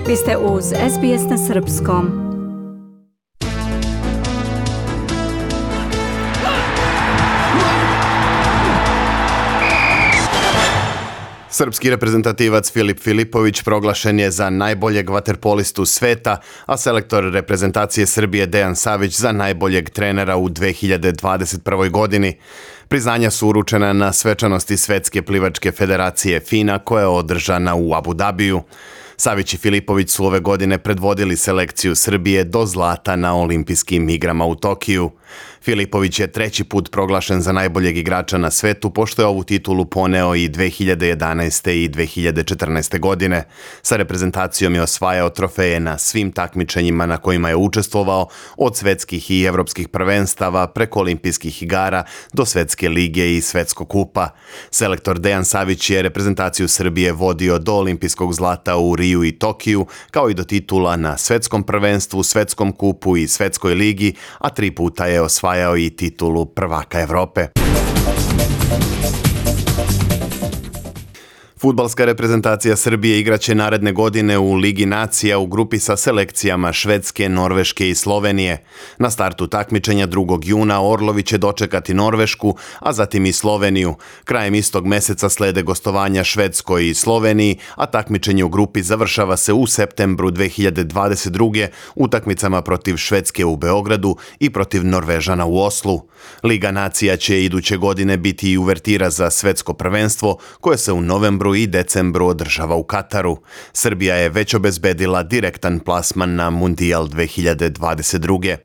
Vi ste uz SBS na Srpskom. Srpski reprezentativac Filip Filipović proglašen je za najboljeg vaterpolistu sveta, a selektor reprezentacije Srbije Dejan Savić za najboljeg trenera u 2021. godini. Priznanja su uručena na svečanosti Svetske plivačke federacije FINA koja je održana u Abu Dabiju. Savić i Filipović su ove godine predvodili selekciju Srbije do zlata na olimpijskim igrama u Tokiju. Filipović je treći put proglašen za najboljeg igrača na svetu, pošto je ovu titulu poneo i 2011. i 2014. godine. Sa reprezentacijom je osvajao trofeje na svim takmičenjima na kojima je učestvovao, od svetskih i evropskih prvenstava preko olimpijskih igara do Svetske lige i Svetskog kupa. Selektor Dejan Savić je reprezentaciju Srbije vodio do olimpijskog zlata u Riju i Tokiju, kao i do titula na Svetskom prvenstvu, Svetskom kupu i Svetskoj ligi, a 3 puta je osvajao i titulu prvaka Evrope. Fudbalska reprezentacija Srbije igraće naredne godine u Ligi nacija u grupi sa selekcijama Švedske, Norveške i Slovenije. Na startu takmičenja 2. juna Orlovi će dočekati Norvešku, a zatim i Sloveniju. Krajem istog meseca slede gostovanja Švedskoj i Sloveniji, a takmičenje u grupi završava se u septembru 2022. utakmicama protiv Švedske u Beogradu i protiv Norvežana u Oslu. Liga nacija će iduće godine biti i uvertira za svetsko prvenstvo koje se u novembru i decembru održava u Kataru. Srbija je već obezbedila direktan plasman na Mundijal 2022.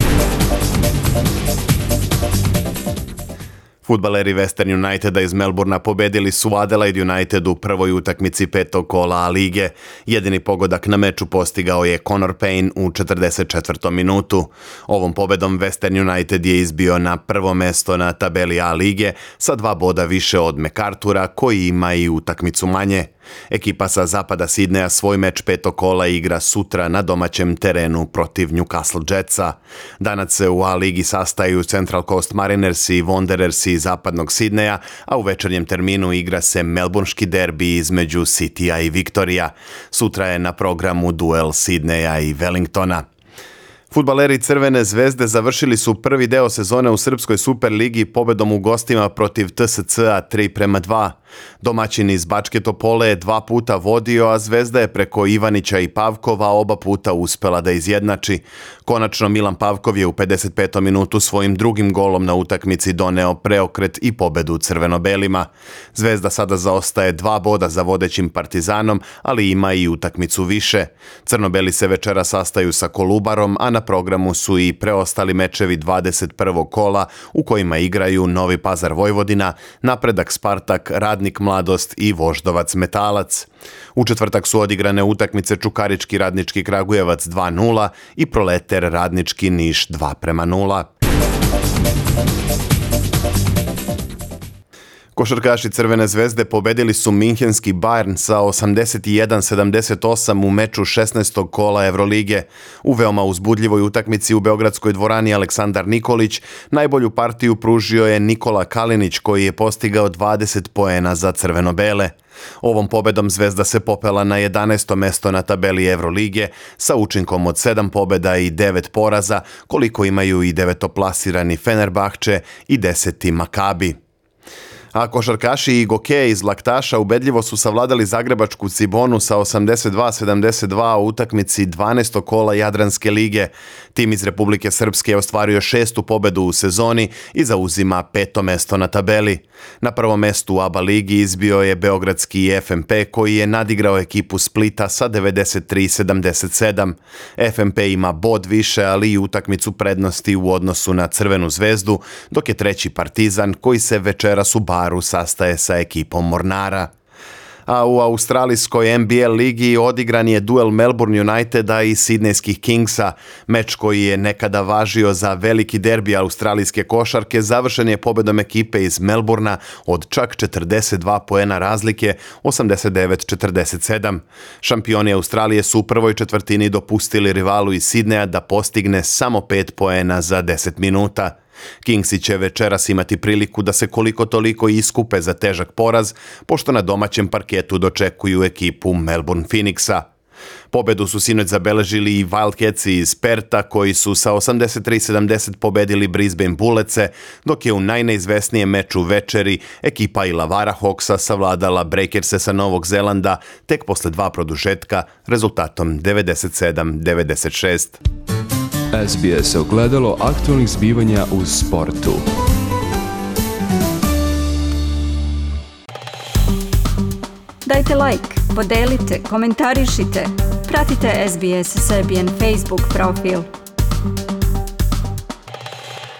Fudbaleri Western Uniteda iz Melbournea pobedili su Adelaide United u prvoj utakmici 5. kola A lige. Jedini pogodak na meču postigao je Connor Payne u 44. minutu. Ovom pobedom Western United je izbio na prvo mesto na tabeli A lige sa 2 boda više od MacArthura koji ima i utakmicu manje. Ekipa sa zapada Sidneja svoj meč 5. kola igra sutra na domaćem terenu protiv Newcastle Jetsa. Danas se u A ligi sastaju Central Coast Mariners i Wanderers iz zapadnog Sidneja, a u večernjem terminu igra se melbourneški derbi između Citya i Victoria. Sutra je na programu duel Sidneja i Wellingtona. Fudbaleri Crvene zvezde završili su prvi deo sezone u Srpskoj Superligi pobedom u gostima protiv TSC-a 3:2. Domaćin iz Bačke Topole je 2 puta vodio, a Zvezda je preko Ivanića i Pavkova oba puta uspela da izjednači. Konačno Milan Pavkov je u 55. minutu svojim drugim golom na utakmici doneo preokret i pobedu crveno-belima. Zvezda sada zaostaje 2 boda za vodećim Partizanom, ali ima i utakmicu više. Crno-beli se večera sastaju sa Kolubarom, a na programu su i preostali mečevi 21. kola u kojima igraju Novi Pazar Vojvodina, Napredak Spartak, Radnik Mladost i Voždovac Metalac. U četvrtak su odigrane utakmice Čukarički Radnički Kragujevac 2:0 i Proleter Radnički Niš 2:0. Košarkaši Crvene zvezde pobedili su Minhenski Bayern sa 81-78 u meču 16. kola Evrolige. U veoma uzbudljivoj utakmici u Beogradskoj dvorani Aleksandar Nikolić najbolju partiju pružio je Nikola Kalinić koji je postigao 20 poena za crveno-bele. Ovom pobedom Zvezda se popela na 11. mesto na tabeli Evrolige sa učinkom od 7 pobeda i 9 poraza, koliko imaju i devetoplasirani Fenerbahče i 10. Makabi. A košarkaši i Gokeje iz Laktaša ubedljivo su savladali zagrebačku Cibonu sa 82-72 u utakmici 12. kola Jadranske lige. Tim iz Republike Srpske je ostvario 6. pobedu u sezoni i zauzima 5. mesto na tabeli. Na prvom mestu u ABA ligi izbio je beogradski FNP koji je nadigrao ekipu Splita sa 93-77. FNP ima bod više, ali i utakmicu prednosti u odnosu na Crvenu zvezdu, dok je treći Partizan koji se večeras u Baru sastaje sa ekipom Mornara. A u australijskoj NBL ligi odigran je duel Melbourne Uniteda i Sidnejskih Kingsa. Meč koji je nekada važio za veliki derbi australijske košarke završen je pobedom ekipe iz Melbournea od čak 42 poena razlike, 89-47. Šampioni Australije su u prvoj četvrtini dopustili rivalu iz Sidneja da postigne samo 5 poena za 10 minuta. Kingsi će večeras imati priliku da se koliko toliko iskupe za težak poraz, pošto na domaćem parketu dočekuju ekipu Melbourne Phoenixa. Pobedu su sinoć zabeležili i Wildcatsi iz Perta koji su sa 83-70 pobedili Brisbane Bulletse, dok je u najneizvesnijem meču večeri ekipa Illawarra Hawksa savladala Breakerse sa Novog Zelanda tek posle 2 produžetka rezultatom 97-96. SBS ogledalo aktualnih zbivanja u sportu. Dajte like, podelite, komentarišite. Pratite SBS Serbian Facebook profil.